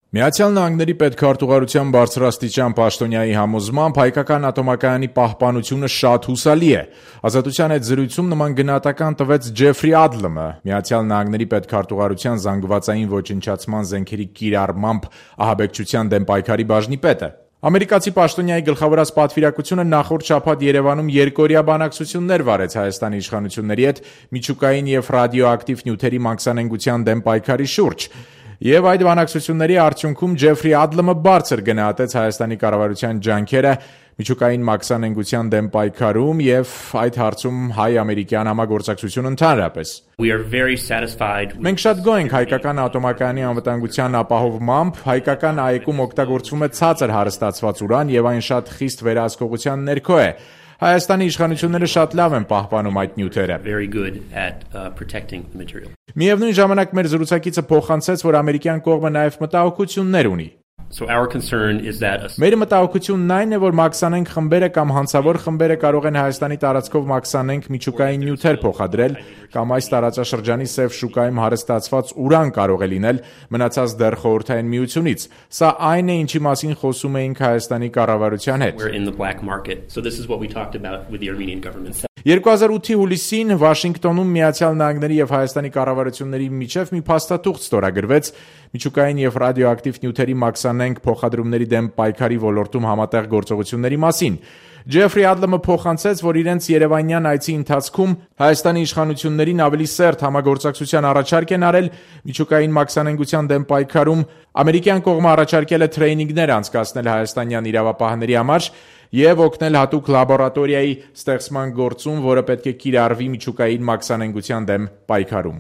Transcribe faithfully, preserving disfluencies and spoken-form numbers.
Միացյալ Նահանգների պետքարտուղարության բարձրաստիճան պաշտոնյայի համոզմամբ հայկական ատոմակայանի պահպանությունը շատ հուսալի է։ Ազատության հետ զրույցում նման գնահատական տվեց Ջեֆրի Ադլմը, Միացյալ Նահանգների պետքարտուղարության զանգվածային ոչնչացման զենքերի կիրառմամբ ահաբեկչության դեմ պայքարի բաժնի պետը։ Ամերիկացի պաշտոնյայի գլխավորած պատվիրակությունը նախորդ շաբաթ Երևանում երկօրյա բանակցություններ վարեց Հայաստանի իշխանությունների հետ միջուկային և ռադիոակտիվ նյութերի մաքսանենգության դեմ պայքարի շուրջ։ Եվ այդ բանակցությունների արդյունքում Ջեֆրի Ադլմը բարձր գնահատեց Հայաստանի կառավարության ջանքերը միջուկային մաքսանենգության դեմ պայքարում և այդ հարցում հայ-ամերիկյան համագործակցություն ընդհանրապես։ Մենք շատ գոհ ենք հայկական ատոմակայանի անվտանգության ապահովմամբ, հայկական ԱԷԿ-ում օգտագործվում է ցածր հարստացված ուրան և այն շատ խիստ վերահսկողության ներքո է։ Հայաստանի իշխանությունները շատ լավ են պահպանում այդ նյութերը։ Միևնույն ժամանակ մեր զրուցակիցը փոխանցեց, որ ամերիկյան կողմը նաև մտահոգություններ ունի։ Մեր մտահոգությունն այն է, որ մաքսանենգ խմբերը կամ հանցավոր խմբերը կարող են Հայաստանի տարածքով մաքսանենգ միջուկային նյութեր փոխադրել, կամ այս տարածաշրջանի սև շուկայում հարստացված ուրան կարող է լինել, մնացած դեռ Խորհրդային Միությունից։ Սա այն է, ինչի մասին խոսում էինք Հայաստանի կառավարության հետ։ երկու հազար ութի հուլիսին Վաշինգտոնում Միացյալ Նահանգների և Հայաստանի կառավարությունների միջև մի փաստաթուղթ ստորագրվեց միջուկային և ռադիոակտիվ նյութերի մաքսանենգ փոխադրումների դեմ պայքարի ոլորտում համատեղ գործողությունների մասին։ Ջեֆրի Ադլմը փոխանցեց, որ իրենց երևանյան այցի ընթացքում Հայաստանի իշխանություններին ավելի սերտ համագործակցության առաջարկ են արել միջուկային մաքսանենգության դեմ պայքարում, ամերիկյան կողմը առաջարկել է թրեյնինգներ անցկացնել հայաստանյան իրավապահների համար և օգնել հատուկ լաբորատորիայի ստեղծման գործում, որը պետք է կիրառվի միջուկային մաքսանենգության դեմ պայքարում։